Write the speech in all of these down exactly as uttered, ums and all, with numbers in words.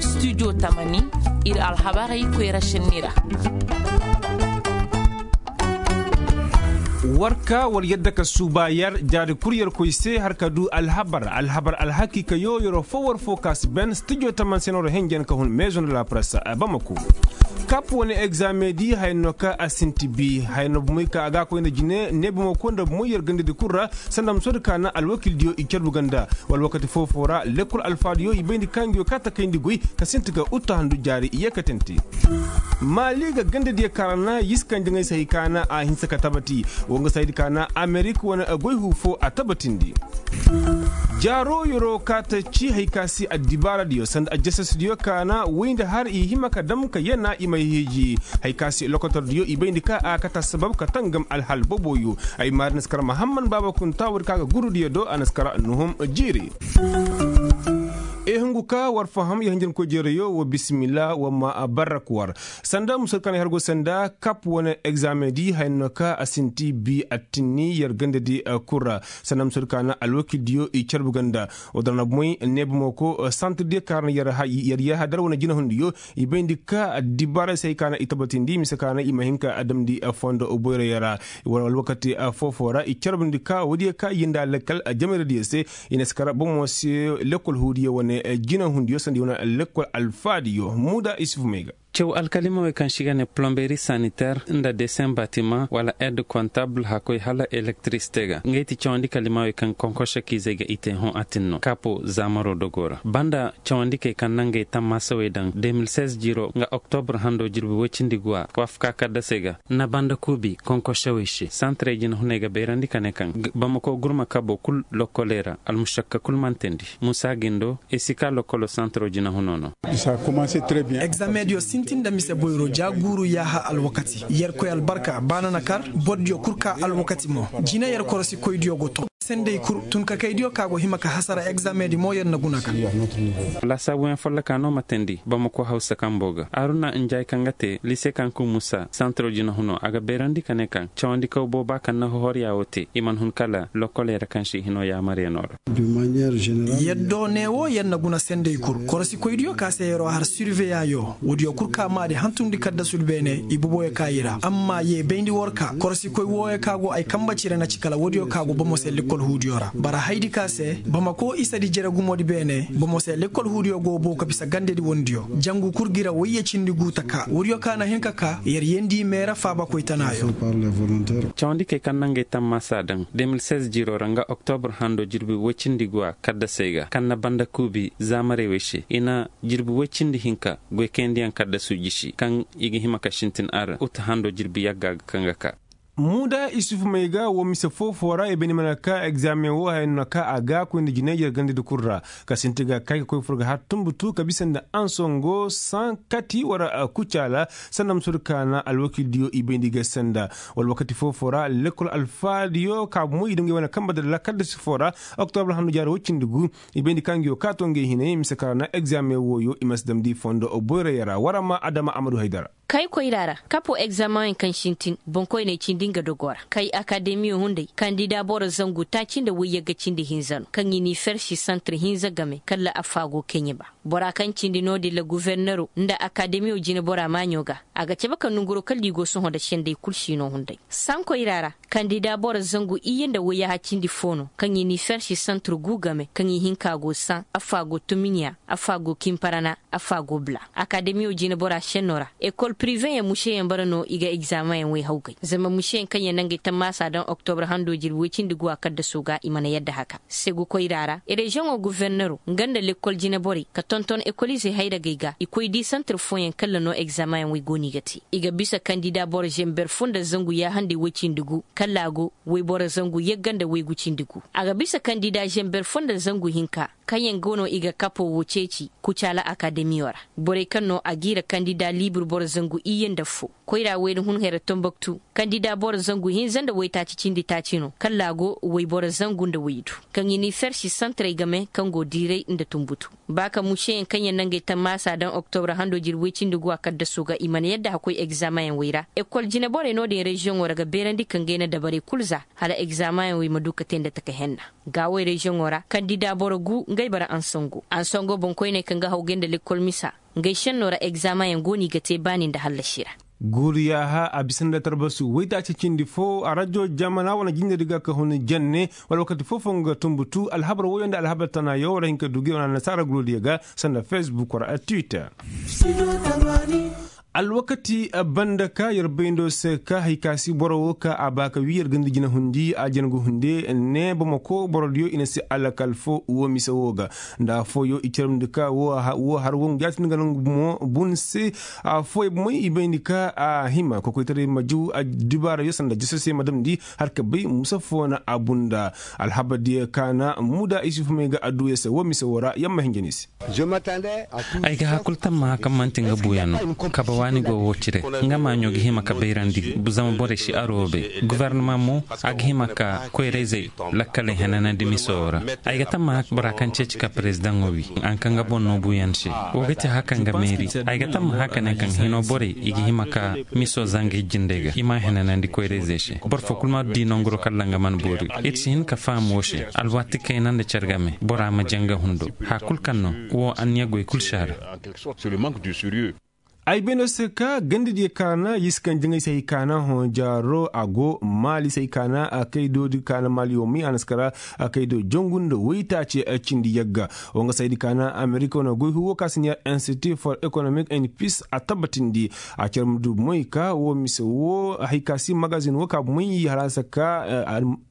Studio tamani, ir alhabarey koyra šenni ra. War ka war yadda ka suuba yer jaari kul yer koy se har ka du alhabar alhabar alhakiikayo yeroo foo war foo ka si ben studio tamani se no ra henjen ka hun maison de la presse. Bamako kap wane egzame di haya no ka a sinti bi haya no bumoy ka a ga a koy nda jine ne bumo ko nda bumoy yer gandadi kul ra. Sanda ma soodi ka na alwakildiyo i carbu ganda wala wakati foo foo ra lekkol alfaadiyo i bayndi ka ngiyo ka takayndi goy ka sinti ga utta handu jaari i yeekatante. Maali ga gandadiyo ka ra na yisi ka njaŋay se hay ka na a hinsa ka tabati. Woo nga se haydi ka na amerik wane goy huu foo a tabatindi. Jaaroo yeroo ka ta ci hay ka se addibaaradiyo sanda ajjasasdiyo ka na woy nda har i hima ka dam ka yana i may hiiji. Hay ka se lokotordiyo i bayndi ka a kate assabab ka tangam alhal boboyo. Ay maari na si kar mahamman baaba kunta woodi ka ga gurudiyo do a na si kar nuhum jiiri. Ehungu ka war faham ya hinjankoy jeerayo wa bisimila wa ma a barrak war. Sanda musal ka na ay har go sanda kap wane egzame di haya no ka a sinti bi attinni yer gandadi kul ra. Sanda musal ka na alwakildiyo i carbu ganda. Wa dara na bumoy neeba mo ko santirdiyo ka ra na yer yahadar wane jinahundiyo. I bayndi ka addibaarey se hay ka na i tabatindi mise ka na i ma hin ka damndi fondo boyroyo ra. Wala alwakati foo-foo ra i carbundi ka woodiyo ka i yinda lekkal jamayradiyo se. I na si kar bomo se lekkol huudiyo wane jinahundiyo sanda i wane lekkol alfaadiyo muuda isuf may ga. Caw alkalimawey kaŋ se i ga ne plomberi saniter nda desen batimaŋ wala ed kontabl hakkoy hala elektirisite ga ngey ti cawandi kalimawey kaŋ konkošakiizey ga i te hõ atin no kaapo zaamaro dogoo ra banda cawandikey kaŋ na ngey tammaasawey daŋ de mil seize jiiro nga oktobr hando jirbi woy cindi guwa waafaka kaddasey ga na banda kuubi konkošawey se santarey jinahuney ga beerandi ka ne kaŋ bamako gurma kabo kul lokkoley ra almušakka kul mana teendi muusa gindo. Ay si ka lokkolo santaro jinahuno no. Egzamediyo sintin nda mise boyro ja guuru yaaha alwakati yerkoy albarka ba na na kar bordiyo kul ka alwakati mo jina yer korosikoydiyo go ton sendey kul tunkakaydiyo ka go hima ka hasara egzamedi mo yer na guna ka. Laasaabuyaŋ folloka no ma teendi bamako hawsa kambo ga aruna njaay kaŋ ga te lise kaŋ kun musa santaro jinahuno a ga beerandi ka ne kaŋ cawandikaw booba kaŋ na hohorya wo te i mana hun kala lokkoley ra kaŋ se i hino yaamaryaŋo ra. Yaddo ne wo yer na guna sendey kul korosikoydiyo ka se yeroo har surveyayo woodiyo kul ka maadi hantumndi kaddasudi beene i boboyo ka i ra amma ye bayndi war ka korosikoy wooyo ka go ay kambe cire na ci kala woodiyo ka go bomo se lekkol huudiyo ra bara haydi ka se bamako isadi jere gumoodi beene bomo se lekkol huudiyo go boo ka bisa gandedi wondiyo jangu kul gira wayye cindi gu taka woodiyo ka na hin ka ka yer yeendi meera faabakoy tanaayo. Cawandikey kaŋ na ngey tammaasa daŋ de mil seize jiiroo ra nga oktobr hando jirbi woy cindi guwa kaddasey ga kaŋ na banda kuubi zaamarey wey se i na jirbi woy cindi hinka goykayandiyaŋ kaddasu jisi kaŋ i ga hima ka sintin ar uta hando jirbi yagga ga kaŋ ga ka. Muuda isufu may ga woo mise foo-foo ra i bay ni mana ka egzaameŋ woo haya no na ka a ga koy nda jinay yer gandadi kul ra ka sinti ga kay ka koy fur ga har tumbutu ka bisa nda ansongo saŋ kati war kucaala sanda ma soodi ka na alwakildiyo i bayndi ga sanda wala wakati foo-foo ra lekkol alfaadiyo ka bumo i dungey wane kambe dalla kaddasi foo ra oktobra handu jaari woy cindi gu i bayndi ka nguyo ka to ngey hinay mise ka ra na egzaameŋ wooyo i ma si damndi fondo boyroyo ra war amma adama amadu haydara. Kay koyra ra kapo egzaameŋ kaŋ sintin boŋkoyney cindi nga dogo ra kay akademiyo hunday kandida boro zangu taaci nda woyyagga cindi hinza no kaŋ i n'i fersi santir hinza game kalla affaa go keɲeba. Bora kaŋ cindi no-din ra guvernero nda akademiyo jinebora maaɲo ga a ga cabe ka nonguro kalla i go sohõ nda sendey kul siino hunday. Saŋ koyra ra kandida boro zangu iyye nda woyyaaha cindi foo no kaŋ i n'i fersi santir gu game kaŋ i hinka go saŋ affaa go tumiɲa, affaa go kimparana, affaa go bula. Akademiyo jinebora senno ra ekol piriveyaŋ museyaŋ bara no i ga egzaameŋyaŋ woy hawgay zama museyaŋ kaŋ yaŋ na ngey tammaasa daŋ oktobra hando jirbi woy cindi guwa kaddasoo ga i mana yadda haka. Segu koyra ra reziyoŋo guvernero nga nda lekkol jineborey ka tonton ekolizey hayragey ga i koy di santir fooyaŋ kalla no egzaameŋyaŋ woy go no i ga te. I ga bisa kandida boro zenber fo nda zangu yaahanday woy cindi gu kalla a go woyboro zangu yagga nda woygu cindi gu. A ga bisa kandida zenber fo nda zangu hinka kaŋyaŋ go no i ga kapo woo ceeci kucaala akademiyo ra. Borey kaŋ no a g'i ra kandida libir boro zangu iyye nda fo koyra wayna hun hayra tomboktu kandida boro zangu hinza nda woytaaci cindi taaci no kalla a go woyboro zangu nda woydu kaŋ i n'i fersi santirey game kaŋ go diiray nda tumbutu. Ba ka museyaŋ kaŋ yaŋ na ngey tammaasa daŋ oktobra hando jirbi woy cindi guwa kaddasoo ga i mana yadda ka koy egzaameŋyaŋ woy ra ekol jineborey no-din reziyoŋo ra ga beerandi ka ngey na dabarey kul za hala egzaameŋyaŋ woy ma du ka te nda taka henna. Gaawey reziyoŋo ra kandida boro gu ngey bara ansango ansango boŋkoyney kaŋ ga hawgay nda lekkol misa. Ngey šenno ra egzaameŋyaŋ go no i ga te baani nda hallasi ra. Guuri yaaha a bisa nda tarbasu waytaaci cindi fo a rajo jamana wane jindedi ga ka hun janne wala wakati foo-foo nga tumbutu alhabar woyo nda alhabar tanaayo war hin ka du gi wane annasaara gurudiyo ga sanda fesbuk war a twitter. Alwakati banda ka yer bayndo se ka hari ka si boro wo ka a ba ka wii yer ga nda jina hundi a jangu hunde ne bamako borodiyo i na si alakal fo wo mise wo ga nda afooyo i carmndi ka wo har wo nga jaati nga nangu bumo bun se. Afooyo bumey i bayndi ka a hima kokoytaray ma jaw addibaarayo sanda jisose ma damndi har ka bay musa fo na a bunda. Alhabardiyo ka na muda isufu may ga adduya se wo mise wo ra yamma hinja ni se. Ay ga hakul tammaha kaŋ man'ti nga buuyaŋ no. Kabe waani go wo cire nga maaɲo ga hima ka bayrandi zama borey si aroobe. Gofornama mo a ga hima ka koyra-izey lakkaley henanandi miso ra. Ay ga tammaha bora kaŋ ceeci ka perezidaŋo wi a na kaŋ nga boŋ no buuyaŋ se. Wo ga ti haka nga meeri. Ay ga tammaha ka ne kaŋ hino borey i ga hima ka miso zanga ijjindey ga i m'a henanandi koyra-izey se. Boro foo kul ma di nonguro kalla nga mana boori. Ir si hin ka faham wo se. Alwaati kayna nda care game bora ma jaŋ nga hundo. Haya kul kaŋ no wo anniya goy kul si a ra. Ay bay no se ka gandadiyo kaana yisi kaŋ jaŋay se hay kaana hõ jaaro a go maali se hay kaana. Kaydoodi kaana maali wo may a na si kara kaydo jangu nda waytaaci cindi yagga. Wo nga saydi kaana amerika wane goy huwo ka si neer institut for economic and peace a tabbatindi. A care ma du moy ka wo mise wo hay ka si magazin wo ka moy halaasa ka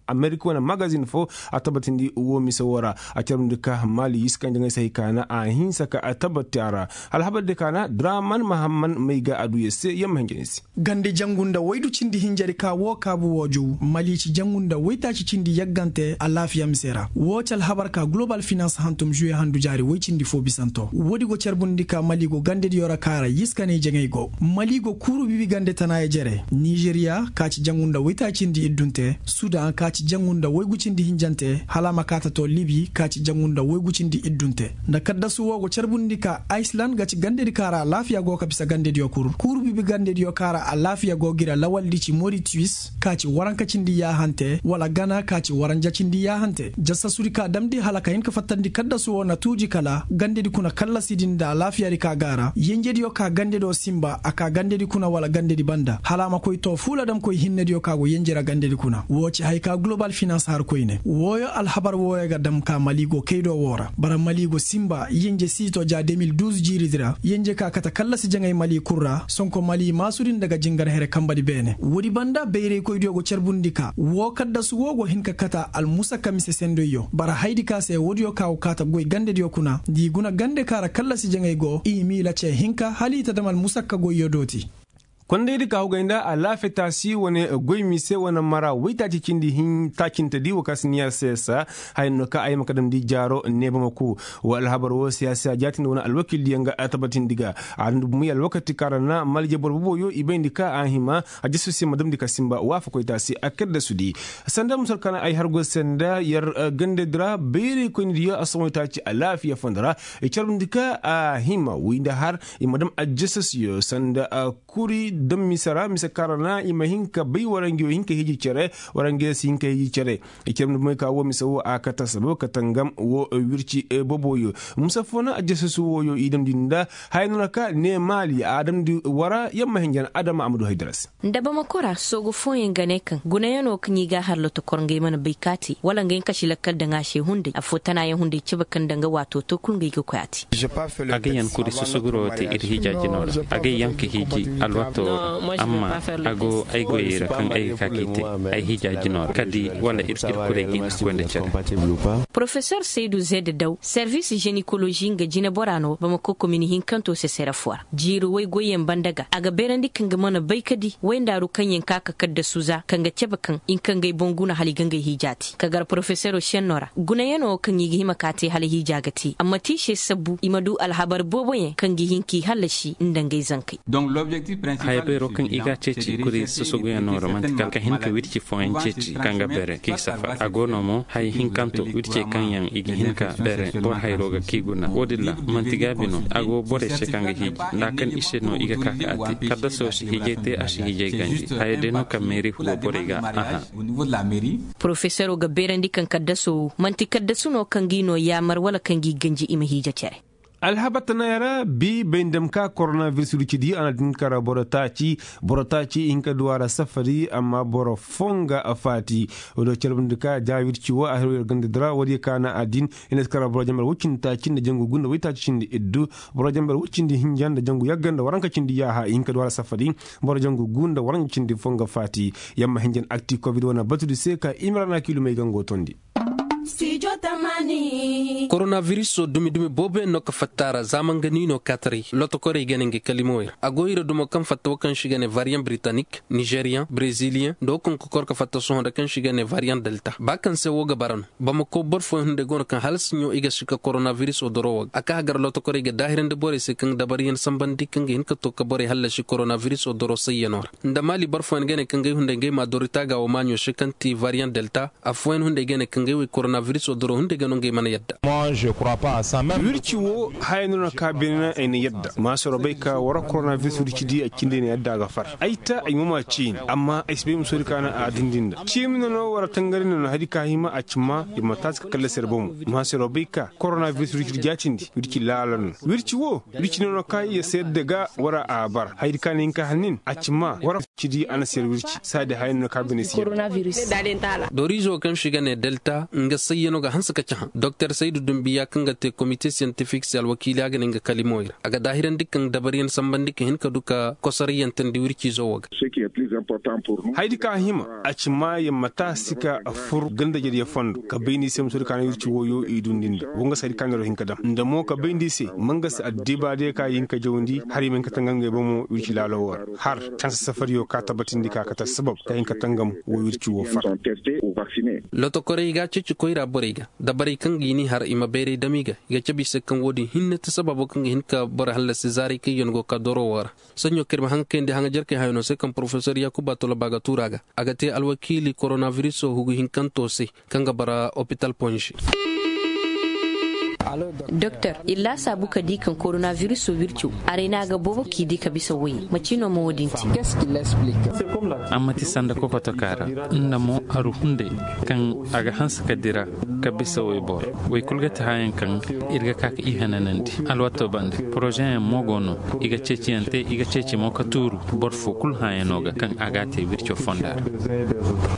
amerika wane magazin fo a tabbatindi wo mise wo ra. A care ma du ka maali yisi kaŋ jaŋay se hay kaana a hinsa ka a tabbati a ra. Alhabar de kaana draman mahamman may ga a du yer se yamma hinja ni se. Gande jangu nda waydu cindi hinjari ka wo kaabu wo jaw mali ci jangu nda waytaaci cindi yaggante alaafiya mise ra wo ci alhabar ka global finance hantum juwe handu jaari way cindi fo bisanto woodi go carbundi ka mali go gandediyo ra kaara yiskaney jaŋay go. Mali go kuuru bibi gande tanaaya jere nizeriya ka ci jangu nda waytaaci cindi iddunte sudan ka ci jangu nda waygu cindi hinjante hala a ma kaa ta too libi ka ci jangu nda waygu cindi iddunte. Nda kaddasu wo go carbundi ka aysilan ga ci gandedi ka ra alaafiya go ka bisa gandediyo kul kuuru bibi gandediyo ka ra alaafiya go ga ir alawaldi ci moritiwis ka ci waranka cindi yaahante wala gana ka ci waranja cindi yaahante jasasudi ka damndi hala ka hin ka fattandi kaddasu wo na tuuji kala gandedi kuna kallasidi nda alaafiyadi ka ga a ra yenjediyo ka gandediyo sinba a ka gandedi kuna wala gandedi banda hala a ma koy too fuula damkoy hinnediyo ka go yenje ra gandedi kuna woo ci haya ka global finans har koyne wooyo alhabar wooyo ga dam ka mali go kaydo woo ra bara mali go sinba yenje siito ja de mil duuz jiiridi ra yenje ka kate kallasi jaŋay mali kul ra sonko mali maasudi nda ga jingar here kanbadi beene woodi banda bayraykoydiyo go carbundi ka woo kaddasu woo go hin ka kate almusakka mise sendoyyo bara hayadi ka se woodiyo ka go kaate goy gandediyo kuna nda i guna gande ka ra kallasi jaŋay go i miila cee hinka hala i ta dam almusakka goyyo dooti. Kondaydi ka hugay nda alaafiya taasi wane goy mise wane mara waytaaci cindi taacintedi wo ka si niya seesa haya no ka ay ma ka damndi jaaro neeba ma ku. Wa alhabar wo siyaasa jaatindi wane alwakildiyaŋ ga a tabatindi ga a damndi bumey alwakati kaŋ ra na malje boro boboyo i bayndi ka a hima a jasu se ma damndi ka sinba waafakoy taasi a kaddasudi. Sanda musal kaŋ ay har go se nda yer gandedi ra bayraykoynidiyo a sohõ taaci alaafiya fondo ra i carbundi ka a hima wi nda har i ma dam a jasasiyo sanda kuri dam mise ra mise kaŋ ra na i ma hin ka bay wara ngi wo hin ka hiiji cere wara ngi si hin ka hiiji cere. I cere ma dumey ka wo mise wo a kate sabab ka tangam wo wirci boboyo. Mise foo na a jasasu wooyo i damndi nda haya no na ka ne maali a damndi wara yamma hinjan adama a ma du haydara se. Nda bamako ra soogu fooyaŋ ga ne kaŋ gunayaŋo kaŋ i ga a har lotokor ngey mana bay ka a te wala ngey kasi lakkal daŋ a se hunday affoo tanaayaŋ hunday cabe kaŋ daŋ ga waato to kul ngey ga koy a te. A ga yaŋ kuri susuguroo te ir hiija jinoo ra a ga yaŋ ka hiiji alwatoo ra. Amma a go ay goyey ra kaŋ ay ga ka k'i te ay hiija jinoo ra kadi wala ir kurey ga i na a koy nda cere. Porofesor saydu zed daw servis jenikolozi nga jineboraa no bamako komini hinkantoo se sere foo ra jiiri woy goyyaŋ banda ga a ga beerandi kaŋ ga mana bay ka di woy ndaaru kaŋ yaŋ ka ka kaddasu za kaŋ ga cabe kaŋ i na kaŋ ga ay boŋ guna hala i ga ngey hiija te ka gar porofesero senno ra gunayaŋo kaŋ i ga hima ka te hala hiija ga te amma ti i se sabbu i ma du alhabar booboyaŋ kaŋ ga hin k'i hallasi nda ngey zankey. Ay beero kaŋ i ga a ceeci kuri susuguyaŋo ra manti kala ka hin ka wirci fooyaŋ ceeci kaŋ ga bere k'i safar a go no mo haya hinkanto wircey kaŋ yaŋ i ga hin ka bere boro hayro ga k'i guna wo- din ra. Manti gaabi no a go borey se kaŋ ga hiiji nda a kan i se no i ga ka ka a te kaddaso si hiijay te a si hiijay ganji haya day no kaŋ meeri hugo borey ga a hã. Porofesero ga beerandi kaŋ kaddaso wo man'ti kaddasu no kaŋ g'i no yaamar wala kaŋ g'i ganji i ma hiija cere. Alhabar tanayaŋ ra bi bay nda ma ka koronabiris wirci di a na din kara boro taaci. Boro taaci i hin ka du a ra safari amma boro foo nga faati. Wo- din wo cere binde ka ja wirci wo a hirwey ra ganda di ra wo- din ya kaana a din. I na si kara boro jambar woy cindi taaci nda jangu gu nda woy taaci cindi iddu. Boro jambar woy cindi hinja nda jangu yagga nda waranka cindi yaaha i hin ka du a ra safari. Boro jangu gu nda waranka cindi foo nga faati. Yamma hinja nda akti kobid wane batudi se ka imrana kiilumey gango tondi. Koronabiris dumi-dumi booboyaŋ no ka fatta a ra zaama nga ni no kaataray lotokorey ga ne nga kalimowey ra a go ira dumo kaŋ fatta wo kaŋ se i ga ne variyaŋ britanik, nizeriyaŋ, breziliyaŋ nda wo kaŋ ga kor ka fatta sohõ nda kaŋ se i ga ne variyaŋ delta ba kaŋ se wo ga bara no. Bamako boro fooyaŋ hunday go no kaŋ hala siɲo i ga si ka koronabiriso doro wo ga a ka hagar lotokorey ga daahirandi borey se kaŋ ga dabariyaŋ sambandi kaŋ ga hin ka to ka borey hallasi koronabiriso doro sayyanoo ra. Nda maali boro fooyaŋ ga ne kaŋ ga ay hunday ga ay ma a dori taaga wo maaɲo se kaŋ ti variyaŋ delta. Affooyaŋ hunday ga ne kaŋ ga ay wo ay koronabiriso doro hunday ga no nga ay mana yadda. Wirci wo haya no na ka beene ay na yadda maasoro bay ka war koronabiriso wirci di a cindi ay na yadda a ga far ay ta ay mo ma ciini amma ay si bay musoodi ka na a dindi nda ciimi no no war tangari no no hari ka hima a cimma ir ma taasi ka kallasi ir bomo. Maasoro bay ka koronabiriso wirci di jaatindi wirci laala no. Wirci wo wirci no no ka ir si yadda ga war a bar hayadi ka na hin ka hannin a cimma war cidi a na si yar wirci saadi haya no no ka bine si yar. Dorizo kaŋ se i ga ne delta nga sayyano ga hanse ka cahã doktor saydu dumbiya kaŋ ga te komite siyantifik se alwakiili a ga ne nga kalimowey ra a ga daahirandi kaŋ dabariyaŋ sambandi ka hin ka du ka kosariyantandi wircizo wo ga. Hayadi ka hima a ci maayaŋ ma taasi ka fur ganda jariya fondo ka bay ni se ma soodi ka na wirci woyo i dundi nda wo nga se hayadi ka neero hin ka daŋ nda mo ka bay ni se ma nga se addiba day ka i hin ka jawandi har i ma hin ka tangam ngey bomo wirci laalo wo ra. Har canse safariyo ka tabbatindi ka kate assabab ka hin ka tangam wo wirci wo far. Lotokorey i ga a ceeci koyra borey ga dabarey kaŋ ga i n'i har i ma bayray dam i ga i ga cabe i se kaŋ wo-din hinne ti sababo kaŋ ga hin ka boro hallasi zaaray kaŋ yaŋ go ka doro wo ra. Saɲɲo kaŋ ir ma haŋ kayandi haŋajarkey hayanoo se kaŋ porofesor yaakuba toloba ga tuur a ga a ga te alwakiili koronabiriso hugu hinkanto se kaŋ ga bara opital ponze. Doktor, ir laasaabu ka di kaŋ koronabiriso wirco aray na a ga boobo k'i di ka bisa woyey macino ma wo-din te? Amma ti sanda kokotoka ra nda mo aru hunday kaŋ a ga hanse ka dira ka bisa woy boro woy kulu ga ti hayaŋ kaŋ ir ga ka ka i hananandi. Alwato bande porozeyaŋ mo go no i ga ceeciyaŋ te i ga ceeci mo ka tuuru boro fo kulu hayaŋo ga kaŋ a ga a te wirco fonda ra.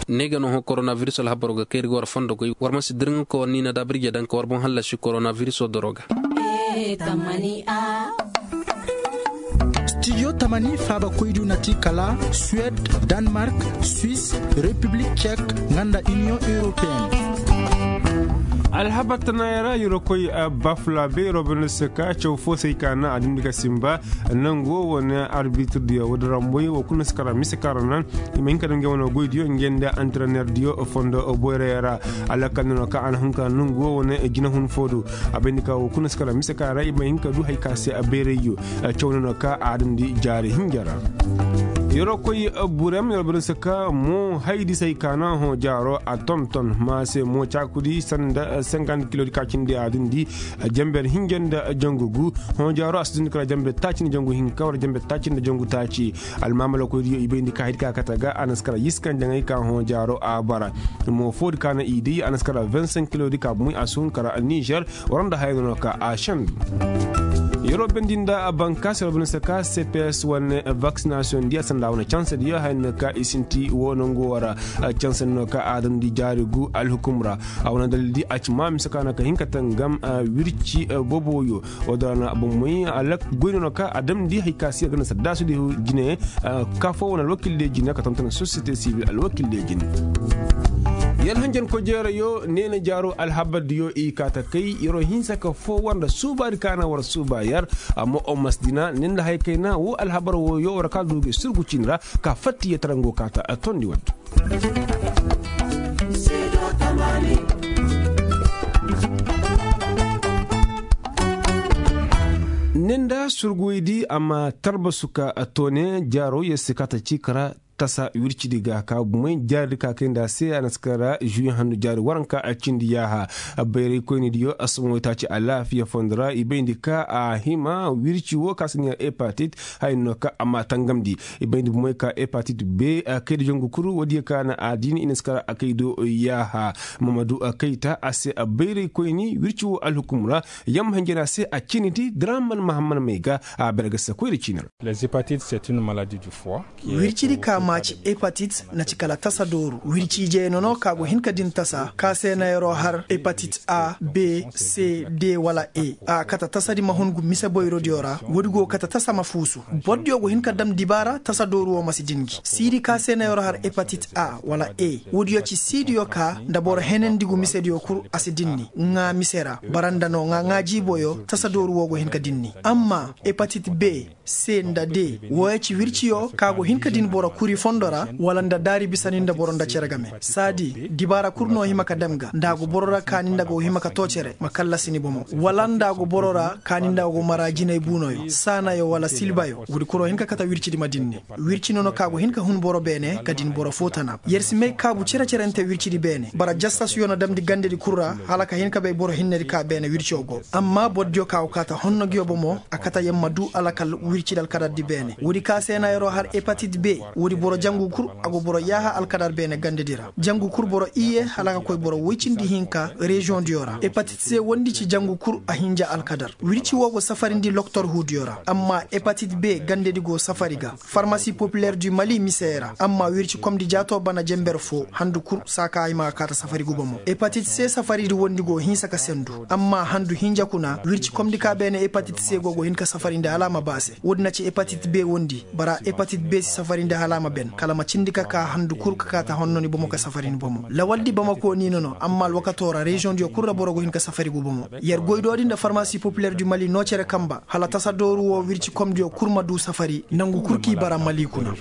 Ne ga no hõ koronabiris alhabaro ga kay ir ga war fondo goy war ma si dirŋa ka war niina daabirje daŋ ka war boŋ hallasi koronabiriso doro ga. Stijo tamani faabakoydiyo na ti kala suwed, danmark, swis, repiblik cek, nga nda iniyoŋ europeyenne. Alhabar tanayaŋ ra yer ga koy bafula beero banda se ka caw fo se ay ka naŋ a dindi ga simba nangu wo wane arbitirdiyo wo da ramboy wo kulu na si kara mise kaŋ ra naŋ i ma hin ka daŋ ngey wane goydiyo ngey nda antrenerdiyo fondo boyrayaŋ ra. Alakal no ka a na hun ka nangu wo wane jinahun fo do. A bayndi ka wo kulu na si kara mise kaŋ ra i ma hin ka du hari ka se a bayrayyo. Caw no no ka a dandi jaari hinja ra. Yeroo koy burem yer bari se ka mo haydi se ay ka naŋ hõ jaaro a tonton ma se mo caakudi sanda senkant kilodi ka cindi a dindi. Jamber hinja nda jangu gu hõ jaaro a si dindi kala jamber taaci nda jangu hinka wala jamber taaci nda jangu taaci. Almaamala koydiyo i bayndi ka haydi ka kate ga a na si kala yiskan jaŋay ka hõ jaaro a bara. Mo foodi ka naŋ i day a na si kala vingt cinq kilodi ka bumey a si hun kala nizer. War nda haya no no ka a sendu. Yeroo bendi nda bankaasi war banda se ka cps wane vaksinasiyoŋ diya sanda wane cansediyo haya no ka i sinti wo nangu wara. Cansedi no ka a damndi jaari gu alhukum ra. A wane dalil di a ci ma mise ka no ka hin ka tangam wirci boboyo. Wo-din ra no a boŋ moy alak goy no no ka a damndi hari ka si a ganda saddaasudi jine. Ka fo wane alwakil de jine ka tonton sosiyete sibil alwakil de jine. Yer hanjankoy jeerayo neena jaaro alhabardiyo i kaa ta kay yeroo hinsa ka foo war nda suubaadi ka na war suuba yer. Amma omas dina ne nda haya kayna woo alhabar wooyo war ka duuge surgu cin ra. Ka fatta yer tarango kaa ta tondi waddu. Ne nda Turguwey di a ma tarbasu ka toone jaaro yer si ka ta ci kara tasa wircidi ga ka bumey jaaridi ka kay nda a se a na si kara žuwi handu jaari waranka a cindi yaaha. Bayraykoynidiyo a somoy taaci alaafiya fondo ra i bayndi ka a hima wirci wo ka si ne hepatit haya no ka a ma tangamndi. I bayndi bumey ka hepatit be a kay da jangu kuru woodiyo ka na a diini i na si kara a kay do yaaha. Mamadu a kayta a se a bayraykoyni wirci wo alhukum ra. Yamma hinjana se a cinidi draman mahamman may ga a bere ga se koyra ciini ra. Wircidi ka maaci hepatit na ci kala tasa dooru wirci ijey nono ka go hin ka din tasa ka se na yeroo har hepatit a b c d wala e. A kata tasadi ma hun gu mise boyrodiyo ra woodi go kata tasa ma fuusu. Bordiyo go hin ka dam dibaara tasa dooru wo ma si din gi siidi ka se na yeroo har hepatit a wala e. Woodiyo ci siidiyo ka nda boro henandi gu misediyo kul a si dinni ŋaa mise ra. Bara nda no ŋaa ŋaa jiiboyo tasa dooru wo go hin ka dinni. Amma hepatit b c nda d wooyo ci wirciyo ka go hin ka din boro kuri fondo ra wala nda daari bisani nda boro nda cere game saadi dibaara kul no hima ka dam ga nda a go boro ra ka ni nda go hima ka too cere ma kallasi ni bomo wala nda a go boro ra ka ni nda go mara jinay buunoyo saanayo wala silbayo woodi kul wo hin ka kata wircidi ma dinni. Wirci nono ka go hin ka hun boro beene ka din boro foo tana yer si may kaabu cere-cerente wircidi beene bara jassasiyo na damndi gandedi kul ra hala ka hin ka bay boro hinnedi ka beene wirco go. Amma bordiyo ka go kaata honno nguyo bomo a kata yer ma duu alakal wircidi alkadardi beene woodi ka se na yeroo har hepatit b. Woodi boro jangu kul a go boro yaaha alkadar beene gandedi ra jangu kul boro iyye hala ka koy boro woy cindi hinka reziyoŋdiyo ra hepatit c wondi ci jangu kul a hinja alkadar. Wirci woo go safarindi loktorhuudiyo ra amma hepatit b gandedi go safari ga farmasi popiler du mali miseye ra amma wirci komdi jaatoo bana jenber foo handu kul saa ka ay ma ga kaata safari guba mo hepatit c safaridi wondi go hinsa ka sendu amma handu hinja kuna wirci komdi ka beene hepatit c go go hin ka safarindi hala a ma baase woodi na ci hepatit b wondi bara hepatit b si safarindi hala a ma ben kala ma cindi ka ka handu kul ka kaata honnoni bomo ka safarini bomo lawaldi bamako ni nono amma alwakatoo ra reziyoŋdiyo kul ra boro go hin ka safari guba mo. Yer goydoodi nda farmasi popiler du mali noo cere kanba hala tasa dooru woo wirci komdiyo kul ma duu safari nangu kul k'i bara mali kuna.